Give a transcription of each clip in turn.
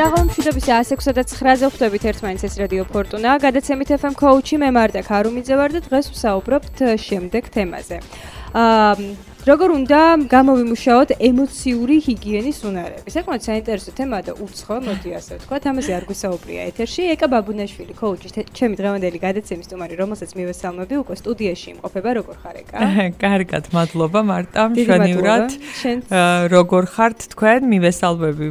საღამო მშვიდობის 106-ზე ხვდებით ერთმანეთს ეს რადიო ფორტუნა. გადაცემით FM coach-ი მე მარდა ქარუმიძე ვარ და დღეს ვსაუბრობთ შემდეგ თემაზე. როგორ უნდა გამოვიმუშაოთ ემოციური ჰიგიენის უნარები. საკმაოდ საინტერესო თემაა და უცხო, მოდი ასე ვთქვათ, ამაზე არ გვისაუბრია ეთერში. ეკა ბაბუნაშვილი, coach-ი, ჩემი დღევანდელი გადაცემის სტუმარი, რომელსაც მივესალმები, უკვე სტუდიაში იმყოფება, როგორ ხარ ეკა? კარგად, მადლობა მარტა, მშვენივრად. როგორ ხართ თქვენ? მივესალმები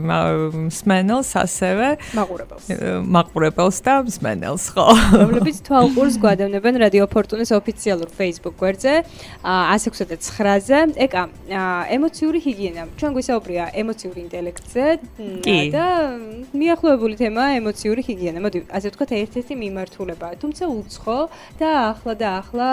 მსმენელს ასევე. მაყურებელს და მსმენელს, ხო. რომლებიც თვალყურს გვადევნებენ რადიო ფორტუნის ოფიციალურ Facebook გვერდზე 106-ზე. ეკა, ემოციური ჰიგიენა. ჩვენ გვისაუბრია ემოციური ინტელექტზე და მიახლოებული თემაა ემოციური ჰიგიენა. მოდი, ასე ვთქვათ, ერთ-ერთი მიმართულებაა, თუმცა უცხო და ახლა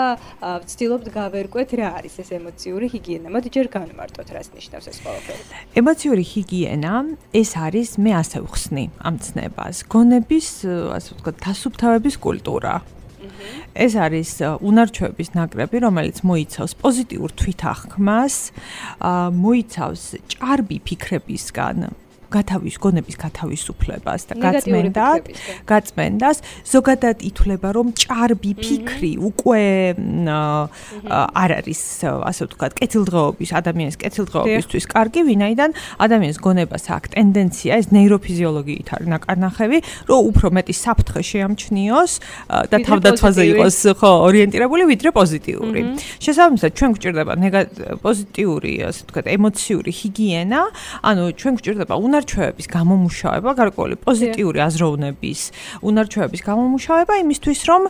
ვცდილობთ გავერკვეთ რა არის ეს ემოციური ჰიგიენა. მოდი ჯერ განვმარტოთ, რას ნიშნავს ეს ყველაფერი. ემოციური ჰიგიენა ეს არის, მე ასე ვხსნი ამ ცნებას, გონების, ასე ვთქვათ, დასუფთავების კულტურა. ეს არის უნარჩვების ნაკრები, რომელიც მოიცავს პოზიტიურ თვითახმას, მოიცავს ჭარბი ფიქრებისგან გონების გათავისუფლებას და გაწმენდას, ზოგადად ითვლება, რომ ჭარბი ფიქრი უკვე არ არის, ასე ვთქვათ, ადამიანის კეთილდღეობისთვის კარგი, ვინაიდან ადამიანის გონებას აქვს ტენდენცია, ეს ნეიროფიზიოლოგიით არის ნაკარნახევი, რომ უფრო მეტი საფრთხე შეამჩნიოს და თავდაცვაზე იყოს ორიენტირებული, ვიდრე პოზიტიური. შესაბამისად, ჩვენ გვჭირდება პოზიტიური, ასე ვთქვათ, ემოციური ჰიგიენა, ანუ ჩვენ გვჭირდება უნარჩვევების გამომუშავება, გარკვეული პოზიტიური აზროვნების უნარჩვევების გამომუშავება იმისთვის, რომ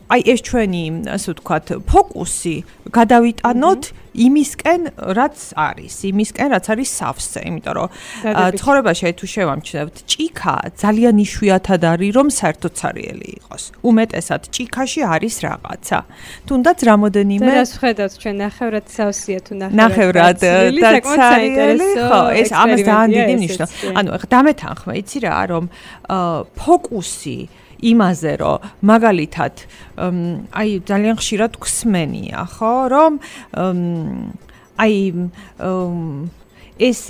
აი ეს ჩვენი, ასე ვთქვათ, ფოკუსი გადავიტანოთ იმისკენ, რაც არის სავსე, იმიტომ რომ ცხოვრებაში თუ შევამჩნევთ, ჭიქა ძალიან იშვიათად არის, რომ საერთოდ ცარიელი იყოს. უმეტესად ჭიქაში არის რაღაცა. თუნდაც რამოდენიმე რას ვხედავთ ჩვენ ნახევრად სავსეა თუ ნახევრად და ცარიელი, ხო, ეს ამას ძალიან დიდი ნიშნავს. ანუ დამეთანხმე, იცი რა, რომ ფოკუსი იმაზე, რომ მაგალითად აი ძალიან ხშირად გვსმენია, ხო, რომ ეს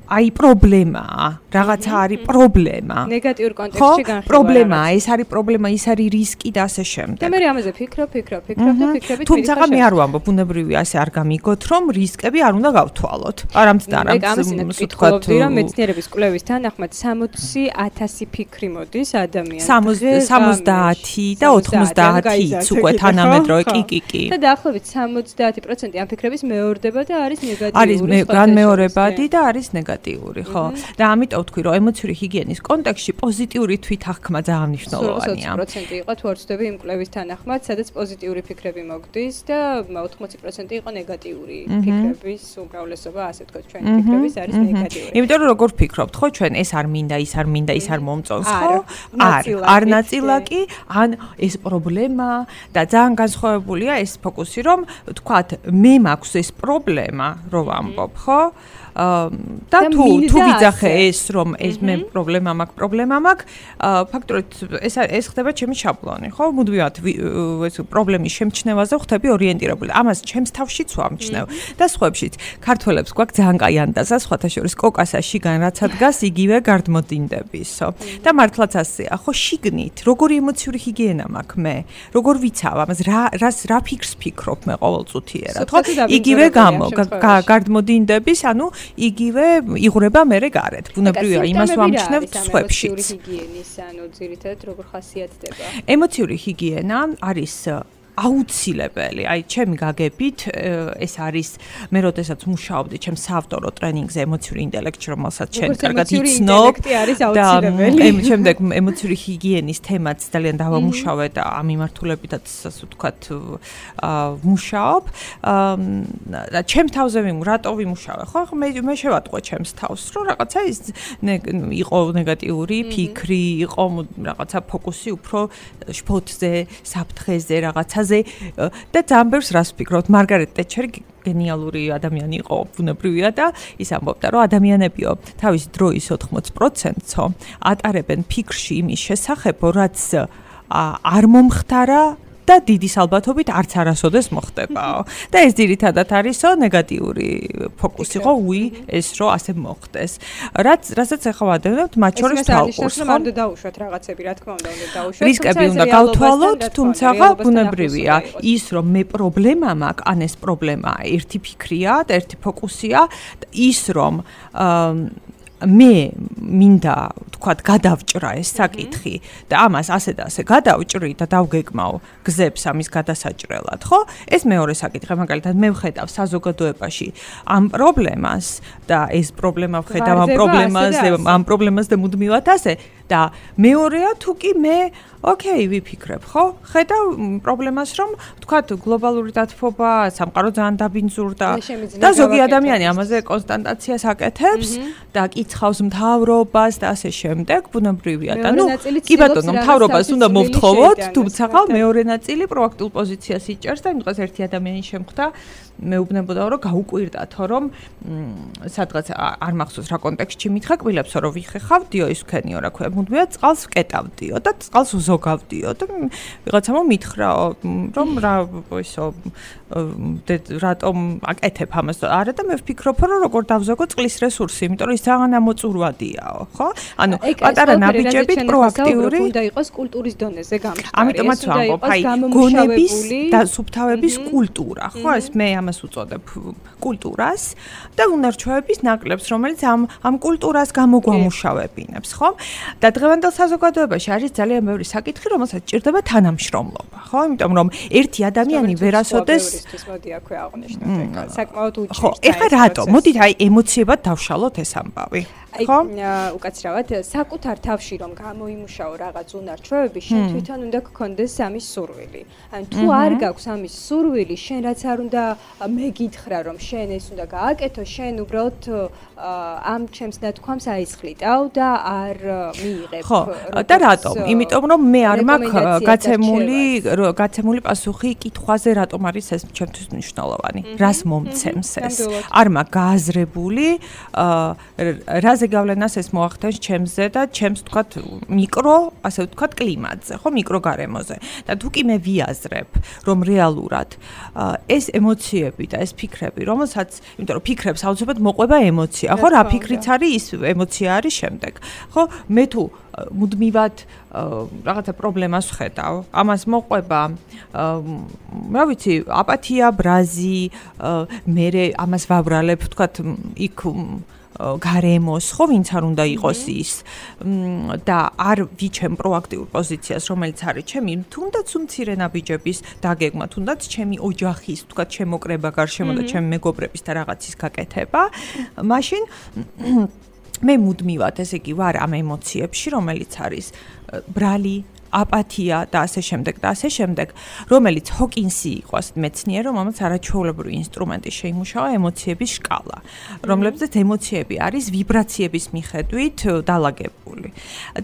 აი პრობლემაა, რაღაცა არის პრობლემა. ნეგატიურ კონტექსტში განხილვა. პრობლემაა, ეს არის პრობლემა, ის არის რისკი და ასე შემდეგ. და მე ამაზე ფიქრობ და ფიქრებით თუმცა მე არ ვამბობ, ბუნებრივია ასე არ გამიგოთ, რომ რისკები არ უნდა გავთვალოთ. არამწდარ ამას ვთქვათ, რომ მეცნიერების კვლევის თანახმად 60,000 ფიქრი მოდის ადამიანს. 70 და 90-იც უკვე თანამედროვე კი. და დაახლოებით 70% ამ ფიქრების მეორდება და არის ნეგატიური. არის განმეორებადი და არის ნეგატიური, ხო? და ამიტომ ვთქვი, რომ ემოციური ჰიგიენის კონტექსტში პოზიტიური თვითახმა ძალიან მნიშვნელოვანია. 20% იყო თუ არ ვცდები იმ კვლევის თანახმად, სადაც პოზიტიური ფიქრები მოგდის და 80% იყო ნეგატიური ფიქრების უმრავლესობა, ასე ვთქვათ, ჩვენი ფიქრების არის ნეგატიური. იმიტომ რომ როგორ ვფიქრობთ, ხო, ჩვენ ეს არ მინდა, ის არ მომწონს, ხო? არ ნაწილაკი, ან ეს პრობლემა და ძალიან განსხვავებულია ეს ფოკუსი, რომ ვთქვათ, მე მაქვს ეს პრობლემა, რო ვამბობ, ხო? და თუ ვიძახე ეს რომ ეს მე პრობლემა მაქვს, ფაქტობრივად ეს ხდება ჩემი შაბლონი, ხო? მუდმივად ეს პრობლემის შემჩნევაზე ხდები ორიენტირებული. ამას ჩემს თავშიც ვამჩნევ და სხვებშიც. ქართველებს გვაქვს ძალიან კაი ანდაზა, სხვათა შორის კოკასა შიგან რაც ადგას, იგივე გარდმოდინდებისო. და მართლაც ასეა, ხო, შიგნით როგორი ემოციური ჰიგიენა მაქვს მე? როგორ ვიცავ ამას, რა ფიქრს ფიქრობ მე ყოველწუთიერად, ხო? იგივე გარდმოდინდების, ანუ იგივე იღვრება მერე გარეთ. ბუნებრივია, იმას ვამჩნევთ სხვებშიც. ემოციური ჰიგიენის, ანუ ძირითადად როგორ ხასიათდება? ემოციური ჰიგიენა არის აუცილებელი. აი, ჩემი გაგებით, ეს არის მე როდესაც მუშაობდი ჩემს საავტორო ტრენინგზე ემოციური ინტელექტში, რომელსაც შენ კარგად იცნობ და შემდეგ ემოციური ჰიგიენის თემაც ძალიან დავამუშავე და ამ მიმართულებითაც, ასე ვთქვათ, ვმუშაობ. და ჩემ თავზე რატო ვიმუშავე, ხო? მე შევატყო ჩემს თავს, რომ რაღაცა ის იყო ნეგატიური ფიქრი, იყო რაღაცა ფოკუსი უფრო შფოთზე, საფრთხეზე, რაღაცა და ძალიან ბევრს რას ვფიქრობთ, მარგარეტ ტეტჩერი გენიალური ადამიანი იყო, ბუნებრივია და ის ამბობდა, რომ ადამიანებიო თავისი დროის 80%-ო ატარებენ ფიქრში იმის შესახებ, რაც არ მომხდარა და დიდი ალბათობით არც არასოდეს მოხდებაო. და ეს ძირითადად არისო ნეგატიური ფოკუსი ხო ეს რო ასე მოხდეს. რასაც ახლა ვადევნებთ მათ შორის თვალყურს ხო? არ უნდა დაუშვათ რაღაცები, რა თქმა უნდა, უნდა დაუშვათ. რისკები უნდა გავთვალოთ, თუმცა ბუნებრივია ის რომ მე პრობლემა მაქვს, ან ეს პრობლემაა ერთი ფიქრია და ერთი ფოკუსია, ის რომ მე მინდა თქვათ გადავჭრა ეს საკითხი და ამას ასე და ასე გადავჭრი და დავგეგმავ გზებს ამის გადასაჭრელად, ხო? ეს მეორე საკითხი, მაგალითად მე ვხედავ საზოგადოებაში ამ პრობლემას და ეს პრობლემა ვხედავ ამ პრობლემას და მუდმივად ასე და მეორეა თუ კი მე ოკეი ვიფიქრებ, ხო? ხედავ პრობლემას რომ თქვათ გლობალური დათბობა, სამყარო ძალიან დაბინძურდა და ზოგი ადამიანი ამაზე კონსტანტაციას აკეთებს და კითხავს მთავრობას და ასე შემდეგ, ბუნებრივია და კი ბატონო, მთავრობას უნდა მოვთხოვოთ, თუმცა ხალ მეორე ნაწილი პროაქტულ პოზიციას იჭერს და იმ დღეს ერთი ადამიანი შემხვდა მეუბნებოდა რომ გაუკვირდათო რომ სადღაც არ მახსოვს რა კონტექსტში მითხრა კბილებსო რომ ვიხეხავდიო ის ვქენიო რა ქვია მუდმივად წყალს ვკეტავდიო და წყალს ვზოგავდიო და ვიღაცამ მითხრაო რომ რა ისო რატომ აკეთებ ამას არა და მე ვფიქრობ რომ როგორ დავზოგო წყლის რესურსი იმიტომ რომ ის ძალიან ამოწურვადიაო ხო ანუ პატარა ნაბიჯებით პროაქტიული უნდა იყოს კულტურის დონეზე გამჭვარი ამიტომაც ვამბობ აი გონების და სუბთავების კულტურა ხო ეს მე ამას უწოდებ კულტურას და უნარჩვევების ნაკლებს რომელიც ამ კულტურას გამოგვამუშავებინებს ხო და დღევანდელ საზოგადოებაში არის ძალიან ბევრი საკითხი რომელსაც ჭირდება თანამშრომლობა ხო იმიტომ რომ ერთი ადამიანი ვერასოდეს მოდი აქვე აღნიშნოთ საკმაოდ უჭირს ხო ეხლა რატო მოდით აი ემოციებად დავშალოთ ეს ამბავი ხო უკაცრავად საკუთარ თავში რომ გამოიმუშაო რაღაც უნარჩვევები შენ თვითონ უნდა გქონდეს ამის სურვილი ან თუ არ გაქვს ამის სურვილი შენ რაც არ უნდა მეგითხრა რომ შენ ეს უნდა გააკეთო შენ უბრალოდ ამ ჩემს ნათქვამს აისხლიტავ და არ მიიღებ ხო და რატომ იმიტომ რომ მე არ მაქვს გაცემული პასუხი კითხვაზე რატომ არის ეს ჩემთვის მნიშვნელოვანი რას მომცემს ეს არ მაქვს გააზრებული რაზე გავლენას ეს მოახდენს ჩემზე და ჩემს თქვათ მიკრო ასე ვთქვათ კლიმატზე ხო მიკროგარემოზე და თუ კი მე ვიაზრებ რომ რეალურად ეს ემოციები და ეს ფიქრები რომელსაც იმიტომ რომ ფიქრებს აუცილებლად მოყვება ემოცია ხო რა ფიქრიც არის ის ემოცია არის შემდეგ ხო მე თუ მუდმივად რაღაცა პრობლემას ვხედავ ამას მოყვება რა ვიცი აპათია ბრაზი მე ამას ვაბრალებ ვთქვათ იქ გარემოს ხო ვინც არ უნდა იყოს ის და არ ვიჩემ პროაქტიულ პოზიციას რომელიც არის ჩემი თუნდაც უმცირე ნაბიჯების დაგეგმა თუნდაც ჩემი ოჯახის თქვა შემოკრება გარშემო და ჩემი მეგობრების და რაღაცის გაკეთება მაშინ მე მუდმივად ესე იგი ვარ ამ ემოციებში რომელიც არის ბრალი აპათია და ასე შემდეგ, რომელიც ჰოკინსი იყო მეცნიერი, რომელმაც არაჩვეულებრივი ინსტრუმენტი შეიმუშავა ემოციების სკალა, რომლებზეც ემოციები არის ვიბრაციების მიხედვით დალაგებული.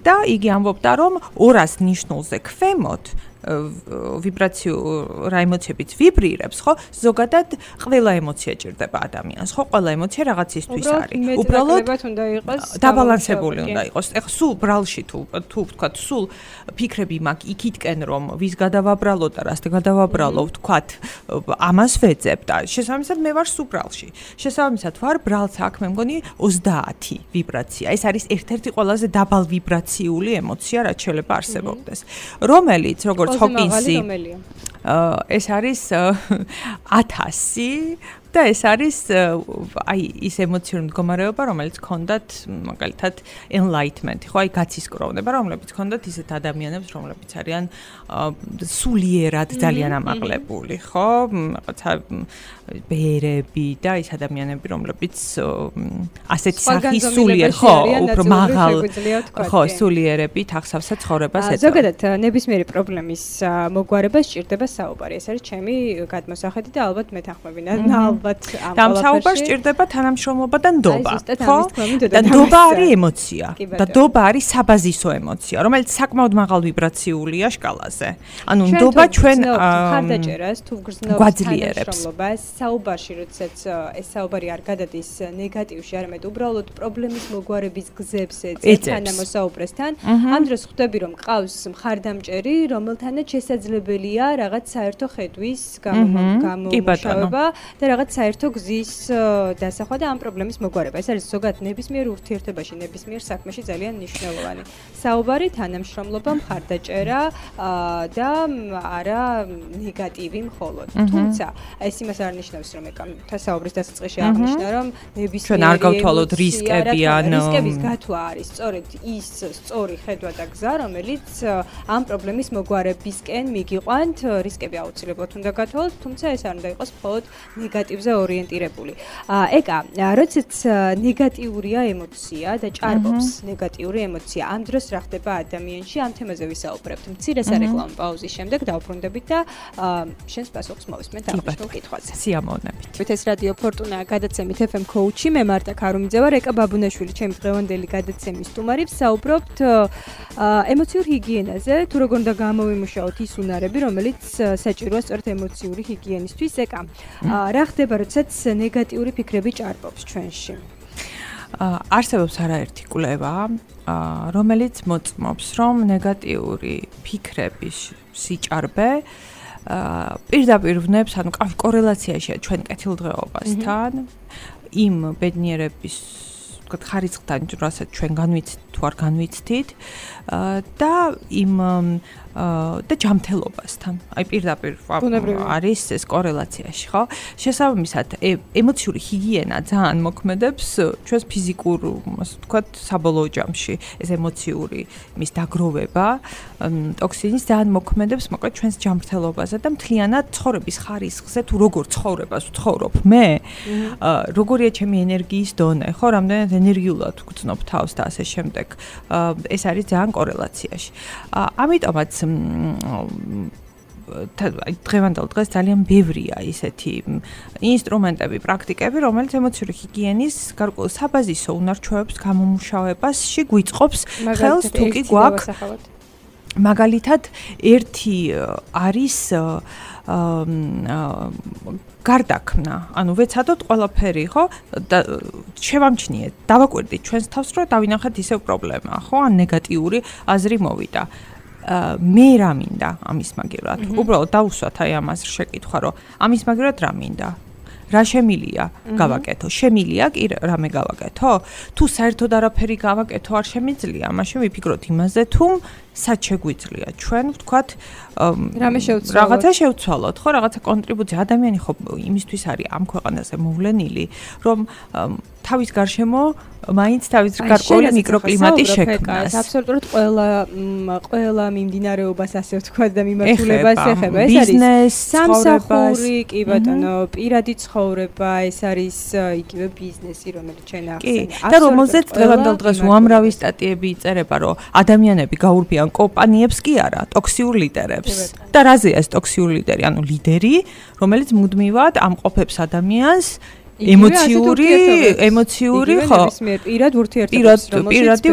და იგი ამბობდა, რომ 200 ნიშნულზე ქვემოთ ვიბრაციულ რა ემოციებიც ვიბრირებს, ხო? ზოგადად ყველა ემოცია ჭირდება ადამიანს, ხო? ყველა ემოცია რაღაცისთვის არის. უბრალოდ უნდა იყოს დაბალანსებული უნდა იყოს. ეხლა სულ ბრალში თუ ვთქვათ, სულ ფიქრები მაქვს იქითკენ რომ ვის გადავაბრალო და რას გადავაბრალო, ვთქვათ, ამას ვეძებ და შესაბამისად მე ვარ სულ ბრალში. შესაბამისად ვარ ბრალს აქ მე მგონი 30 ვიბრაცია. ეს არის ერთ-ერთი ყველაზე დაბალ ვიბრაციული ემოცია, რაც შეიძლება არსებობდეს. რომელიც როგორც ჰოკინსი ეს არის 1000 და ეს არის აი ის ემოციური მდგომარეობა, რომელიც ჰქონდათ მაგალითად enlightenment, ხო, აი გაცისკროვნება, რომლებიც ჰქონდათ ისეთ ადამიანებს, რომლებიც არიან სულიერად ძალიან ამაღლებული, ხო? რაღაცა ბერები და ის ადამიანები, რომლებიც ასეთ სახის სულიერ, ხო, უფრო მაღალ, ხო, სულიერებით ახსავსა ცხოვრებას ეტყობა. ზოგადად ნებისმიერი პრობლემის მოგვარებას სჭირდება საუბარი. ეს არის ჩემი გადმოსახედი და ალბათ მეთანხმები. ალბათ ამ და ამ საუბარს ჭირდება თანამშრომლობა და ნდობა, ხო? და ნდობა არის ემოცია და ნდობა არის საბაზისო ემოცია, რომელიც საკმაოდ მაღალ ვიბრაციულია სკალაზე. ანუ ნდობა ჩვენ ხარდაჭერას თუ გრძნობს თანამშრომლობას, საუბარში, როდესაც ეს საუბარი არ გადადის ნეგატივში, არამედ უბრალოდ პრობლემის მოგვარების გზებს ეძებს თანამოსაუბრესთან, ამ დროს ხვდები, რომ ყავს მხარდამჭერი, რომელთანაც შესაძლებელია რაღაც საერთო ხედვის გამომუშავება და რაღაც საერთო გზის დასახვა და ამ პრობლემის მოგვარება. ეს არის ზოგადად ნებისმიერ ურთიერთობაში, ნებისმიერ საქმეში ძალიან მნიშვნელოვანი. საუბარი, თანამშრომლობა, მხარდაჭერა და არა ნეგატივი მხოლოდ. თუმცა ეს იმას არ ნიშნავს, რომ ეკა საუბრის დასაწყისში აღნიშნა, რომ ნებისმიერი ჩვენ არ გავთვალოთ რისკები ან რისკების გათვლა არის სწორედ ის სწორი ხედვა და გზა, რომელიც ამ პრობლემის მოგვარებისკენ მიგიყვანთ. რისკები აუცილებლად უნდა გათვალოთ, თუმცა ეს არ უნდა იყოს მხოლოდ ნეგატივზე ორიენტირებული. ეკა, როდესაც ნეგატიურია ემოცია და ჭარბობს ნეგატიური ემოცია, ამ დროს რა ხდება ადამიანში? ამ თემაზე ვისაუბრებთ. მცირე სარეკლამო პაუზის შემდეგ დავბრუნდებით და შენს პასუხს მოვისმენთ აღნიშნულ კითხვაზე. სიამოვნებით. ეს რადიო ფორტუნა გადაცემით FM Coach-ი, მე მარტა ქარუმიძე ვარ, ეკა ბაბუნაშვილი, ჩემი დღევანდელი გადაცემის სტუმარი. ვსაუბრობთ ემოციურ ჰიგიენაზე, თუ როგორ უნდა გამოვიმუშაოთ ის უნარები, რომელიც საჭიროა სწორედ ემოციური ჰიგიენისთვის. ეკა, რა ხდება, როდესაც ნეგატიური ფიქრები ჭარბობს ჩვენში? არსებობს არაერთი კვლევა, რომელიც მოწმობს, რომ ნეგატიური ფიქრების სიჭარბე პირდაპირ ვნებს, ანუ კორელაციაშია ჩვენ კეთილდღეობასთან, იმ ბედნიერების ხარისხთან, რასაც ჩვენ განვიცდით თუ არ განვიცდით და იმ და ჯანმრთელობასთან. აი პირდაპირ არის ეს კორელაციაში, ხო? შესაბამისად, ემოციური ჰიგიენა ძალიან მოქმედებს ჩვენს ფიზიკურ, ასე ვთქვათ, საბოლოო ჯამში. ეს ემოციური მის დაგროვება, ტოქსინის ძალიან მოქმედებს, მოკლედ ჩვენს ჯანმრთელობაზე და მთლიანად ცხოვრების ხარისხზე, თუ როგორ ცხოვრებას ვცხოვრობ მე, როგორია ჩემი ენერგიის დონე, ხო, რამდენად ენერგიულად ვგრძნობ თავს და ასე შემდეგ. ეს არის ძალიან კორელაციაში. ამიტომაც დღევანდელ დღეს ძალიან ბევრია ისეთი ინსტრუმენტები, პრაქტიკები, რომელიც ემოციური ჰიგიენის გარკვეულ საბაზისო უნარჩვევებს გამომუშავებაში გვიწყობს ხელს, თუ კი გვაქვს. მაგალითად, ერთი არის გარდაქმნა, ანუ ვეცადოთ ყველაფერი, ხო? და შევამჩნიეთ, დავაკვირდით ჩვენს თავს, რომ დავინახეთ ისევ პრობლემაა, ხო? ან ნეგატიური აზრი მოვიდა. მე რა მინდა ამის მაგივრად? უბრალოდ დავუსვათ აი ამას შეკითხვა, რომ ამის მაგივრად რა მინდა? რა შემილია გავაკეთო? შემილია კი რამე გავაკეთო? თუ საერთოდ არაფერი გავაკეთო არ შემიძლია, მაშინ ვიფიქროთ იმაზე, თუ სად შეგვიძლია ჩვენ ვთქვათ რაღაცა შევცვალოთ, ხო, რაღაცა კონტრიბუცია. ადამიანი ხო იმისთვის არის ამ ქვეყანაზე მოვლენილი, რომ თავის გარშემო მაინც თავის გარკვეული მიკროკლიმატი შექმნას. აბსოლუტურად ყველა მიმდინარეობას ასე ვთქვათ და მიმართულებას ეხება. ეს არის სამსახური, კი ბატონო, პირადი ცხოვრება, ეს არის იგივე ბიზნესი, რომელიც ჩვენ ახსენე. და რომელზეც დღევანდელ დღეს უამრავი სტატიები იწერება, რომ ადამიანები გაურბიან კომპანიებს კი არა, ტოქსიურ ლიდერებს. და რაზეა ეს ტოქსიური ლიდერი? ანუ ლიდერი, რომელიც მუდმივად ამყოფებს ადამიანს ემოციური, ხო? პირადი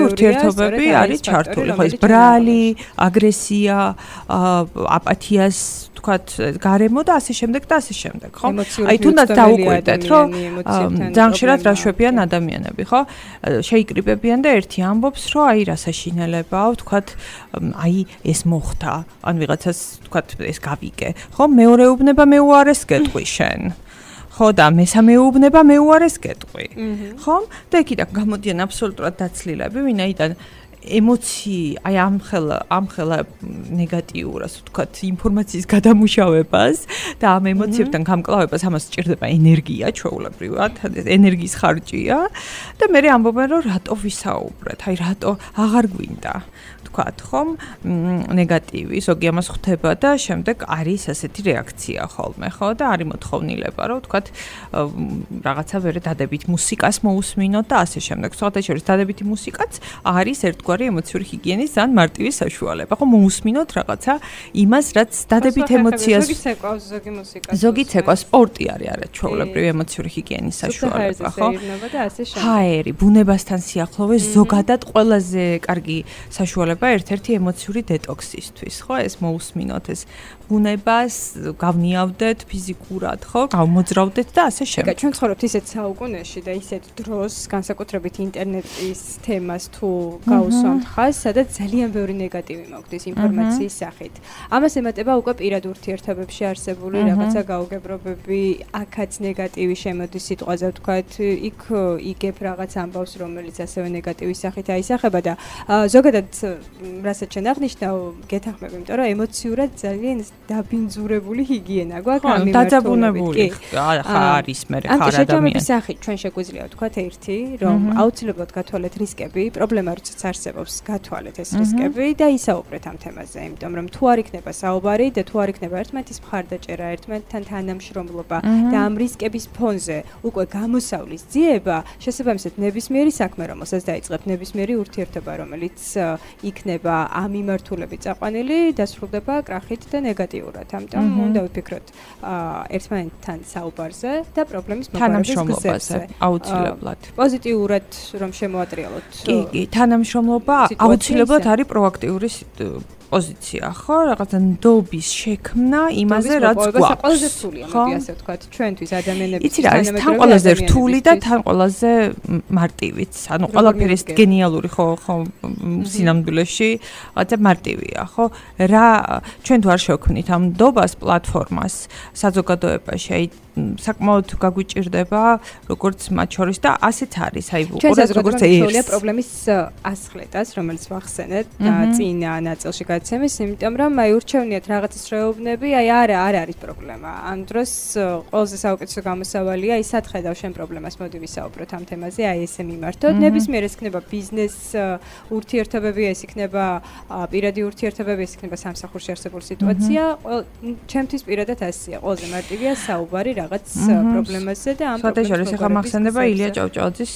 ურთიერთობები არის ჩართული, ხო? ეს ბრალი, აგრესია, აპათიას ვთქვათ, გარემო და ასე შემდეგ და ასე შემდეგ, ხო? აი თუნდაც დაუკვირდეთ, რომ ძალიან ხშირად რა შვებიან ადამიანები, ხო? შეიკრიბებიან და ერთი ამბობს, რომ აი რა საშინელებაა, ვთქვათ, აი ეს მოხდა, ან ვიღაცას ვთქვათ, ეს გავიგე, ხო? მეორე უბნება მე უარეს გეტყვი შენ. ხო და მესამე უბნება მე უარეს გეტყვი. ხო? და იქიდან გამოდიან აბსოლუტურად დაცლილები, ვინაიდან ემოცია, აი ამხელა ნეგატიურ, ასე ვთქვათ, ინფორმაციის გადამუშავებას და ამ ემოციებთან გამკლავებას ამას სჭირდება ენერგია, ჩვეულებრივად, ენერგიის ხარჯია და მე ამბობენ, რომ რატო ვისაუბრეთ, აი რატო აღარ გვინდა. ვთქვათ, ხომ, ნეგატივი, ზოგი ამას ხვდება და შემდეგ არის ასეთი რეაქცია ხოლმე, ხო? და არის მოთხოვნილება, რომ ვთქვათ, რაღაცა ვერე დადებით მუსიკას მოусმინოთ და ასე შემდეგ. სხვათა შორის დადებითი მუსიკაც არის ერთ ერთგვარი ემოციური ჰიგიენის ძალიან მარტივი საშუალება. ხო მოусმინოთ რაღაცა იმას, რაც დადებით ემოციას. ზოგი ცეკვა სპორტი არის არაჩვეულებრივი ემოციური ჰიგიენის საშუალება, ხო? ჰაერი, ბუნებასთან სიახლოვე ზოგადად ყველაზე კარგი საშუალება ერთ-ერთი ემოციური დეტოქსისთვის, ხო? ეს მოусმინოთ ეს ბუნებას, გავნიავდეთ ფიზიკურად, ხო? გავმოძრავდეთ და ასე შემდეგ. ჩვენ ცხოვრობთ ისეთ საუკუნეში და ისეთ დროს, განსაკუთრებით ინტერნეტის თემას თუ გაუსვამთ ხაზს, სადაც ძალიან ბევრი ნეგატივი მოგვდის ინფორმაციის სახით. ამას ემატება უკვე პირად ურთიერთობებში არსებული რაღაცა გაუგებრობები, აქაც ნეგატივი შემოდის სიტყვაზე ვთქვათ, იქ იგებ რაღაც ამბავს, რომელიც ასევე ნეგატივის სახით აისახება და ზოგადად რასაც შენ აღნიშნავ, გეთანხმები, იმიტომ რომ ემოციურად ძალიან დაბინძურებული ჰიგიენა გვაქვს ამ მიმართულებით. არის მე ხარ ადამიანი. შეჯამების სახით ჩვენ შეგვიძლია ვთქვათ ერთი, რომ აუცილებლად გათვალეთ რისკები, პრობლემა როდესაც არსებობს, გათვალეთ ეს რისკები და ისაუბრეთ ამ თემაზე, იმიტომ რომ თუ არ იქნება საუბარი და თუ არ იქნება ერთმანეთის მხარდაჭერა, ერთმანეთთან თანამშრომლობა და ამ რისკების ფონზე უკვე გამოსავლის ძიება, შესაბამისად ნებისმიერი საქმე, რომელსაც დაიწყებთ, ნებისმიერი ურთიერთობა, რომელიც იქნება ამ მიმართულებით წაყვანილი, დასრულდება კრახით და ნეგატიურად. ამიტომ უნდა ვიფიქროთ ერთმანეთთან საუბარზე და პრობლემის მოგვარების გზებზე. აუცილებლად. პოზიტიურად რომ შემოატრიალოთ. კი, თანამშრომლობა აუცილებლად არის პროაქტიული პოზიცია, ხო? რაღაცა ნდობის შექმნა იმაზე, რაც გვაქვს. ყველაზე რთულია, მოდი ასე ვთქვათ, ჩვენთვის ადამიანების. იცი რა, ეს თან ყველაზე რთული და თან ყველაზე მარტივიც. ანუ ყველაფერი ეს გენიალური ხო სინამდვილეში, რაღაცა მარტივია, ხო? რა ჩვენ თუ არ შევქმნით ამ ნდობას პლატფორმას საზოგადოებაში, აი საკმაოდ გაგვიჭირდება როგორც მათ შორის და ასეც არის, აი უყურეთ როგორც ერთია პრობლემის ასხლეტას, რომელიც ვახსენეთ წინა ნაწილში გადაცემის, იმიტომ რომ აი ურჩევნიათ რაღაცის რეუბნები, აი არა არის პრობლემა. ამ დროს ყველაზე საუკეთესო გამოსავალია ის სახედავ შენ პრობლემას, მოდი ვისაუბროთ ამ თემაზე, აი ესე მიმართოთ. ნებისმიერ ეს იქნება ბიზნეს ურთიერთობები, ეს იქნება პირადი ურთიერთობები, ეს იქნება სამსახურში არსებული სიტუაცია. ჩემთვის პირადად ასეა, ყველაზე მარტივია საუბარი რაღაც პრობლემაზე და ამ პრობლემას ახლა მახსენდება ილია ჭავჭავაძის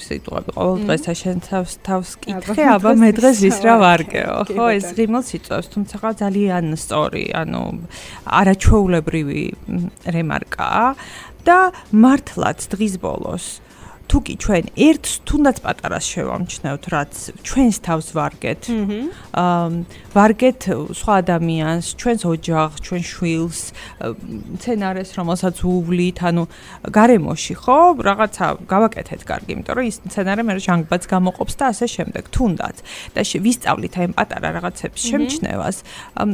სიტყვები. ყოველ დღეს შენ თავს კითხე, აბა მე დღეს ის რა ვარგეო, ხო? ეს ღიმილს იწვევს, თუმცა ძალიან სწორი, ანუ არაჩვეულებრივი რემარკაა და მართლაც დღის ბოლოს თუ კი ჩვენ ერთს თუნდაც პატარას შევამჩნევთ, რაც ჩვენს თავს ვარგეთ. ვარგეთ სხვა ადამიანს, ჩვენს ოჯახს, ჩვენ შვილს, სცენარეს, რომელსაც უვლით, ანუ გარემოში, ხო? რაღაცა გავაკეთეთ კარგი, იმიტომ რომ ის სცენარე მე ჟანგბადს გამოყოფს და ასე შემდეგ. თუნდაც და ვისწავლით აი პატარა რაღაცების შემჩნევას,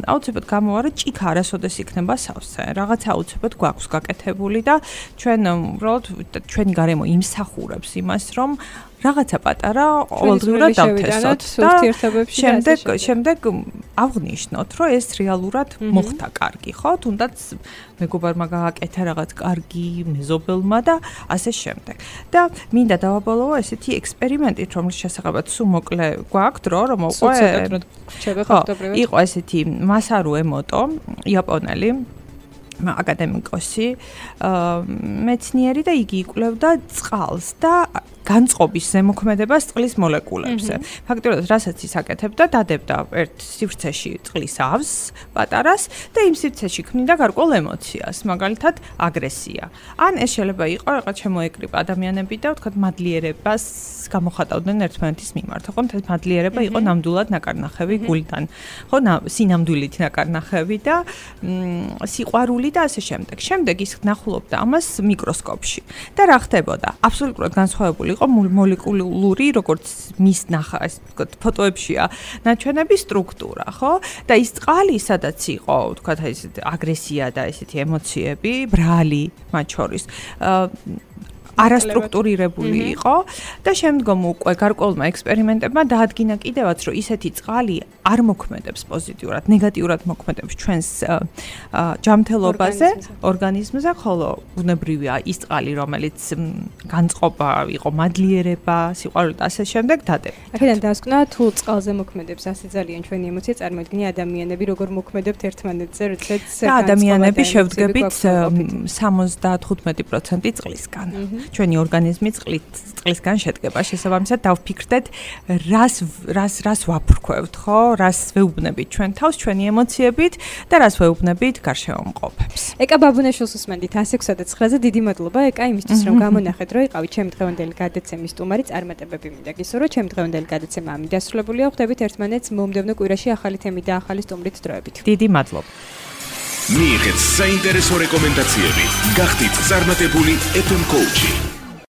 აუცილებლად გამოვა, რომ ჭიქა არასოდეს იქნება სავსე. რაღაცა აუცილებლად გვაქვს გაკეთებული და ჩვენ უბრალოდ ჩვენი გარემო იმსახურებს იმას, რომ რაღაცა პატარა ყოველდღიურად დავთესოთ და შემდეგ აღვნიშნოთ, რომ ეს რეალურად მოხდა კარგი, ხო? თუნდაც მეგობარმა გააკეთა რაღაც კარგი მეზობელმა და ასე შემდეგ. და მინდა დავაბოლოო ესეთი ექსპერიმენტით, რომლის შესახებაც სულ მოკლე გვაქვს დრო, რომ იყო ესეთი მასარუ ემოტო, იაპონელი აკადემიკოსი, მეცნიერი და იგი იკვლევდა წყალს და განწყობის ზემოქმედებას წყლის მოლეკულებზე. ფაქტობრივად, რასაც ის აკეთებდა, დადებდა ერთ სივრცეში წყლის ავზს, პატარას და იმ სივრცეში ქმნიდა გარკვეულ ემოციას, მაგალითად აგრესია. ან ეს შეიძლება იყო რაღაც შემოეკრიბა ადამიანები და ვთქვათ მადლიერებას გამოხატავდნენ ერთმანეთის მიმართ. ხო, ეს მადლიერება იყო ნამდვილად ნაკარნახევი გულიდან. ხო, სინამდვილით ნაკარნახევი და სიყვარული და ასე შემდეგ. შემდეგ ის ნახულობდა ამას მიკროსკოპში. და რა ხდებოდა? აბსოლუტურად განსხვავებული იყო მოლეკულური, როგორც მის ნახა, ეს ვთქვათ, ფოტოებშია ნაჩვენები სტრუქტურა, ხო? და ის წყალი, სადაც იყო, ვთქვათ, აი ესეთი აგრესია და ესეთი ემოციები, ბრალი მათ შორის, არასტრუქტურირებული იყო და შემდგომ უკვე გარკვეულმა ექსპერიმენტებმა დაადგინა კიდევაც, რომ ისეთი წყალი არ მოქმედებს პოზიტიურად, ნეგატიურად მოქმედებს ჩვენს ჯანმრთელობაზე, ორგანიზმზე, ხოლო ბუნებრივია ის წყალი, რომელიც განწყობა იყო მადლიერება, სიყვარული და ასე შემდეგ დადებდა. აქედან დასკვნა, თუ წყალზე მოქმედებს ასე ძალიან ჩვენი ემოცია, წარმოიდგინე ადამიანები როგორ მოქმედებთ ერთმანეთზე, როდესაც ადამიანები შევდგებით 75% წყლისგან. ჩვენი ორგანიზმი წყლისგან შედგება. შესაბამისად დავფიქრდეთ, რას ვაფრქვევთ, ხო? რას ვეუბნებით ჩვენ თავს, ჩვენი ემოციებით და რას ვეუბნებით გარშემოყოფებს. ეკა ბაბუნაშვილს უსმენდით 106-9-ზე დიდი მადლობა ეკა იმისთვის რომ გამონახეთ რომ იყავით ჩემი დღევანდელი გადაცემის სტუმარი წარმატებები მინდა გისურვო ჩემი დღევანდელი გადაცემა ამით დასრულებულია ხვდებით ერთმანეთს მომდევნო კვირაში ახალი თემით და ახალი სტუმრით დროებით. დიდი მადლობა. მიიღეთ საინტერესო რეკომენდაციები. გახდით წარმატებული FM coach-ი.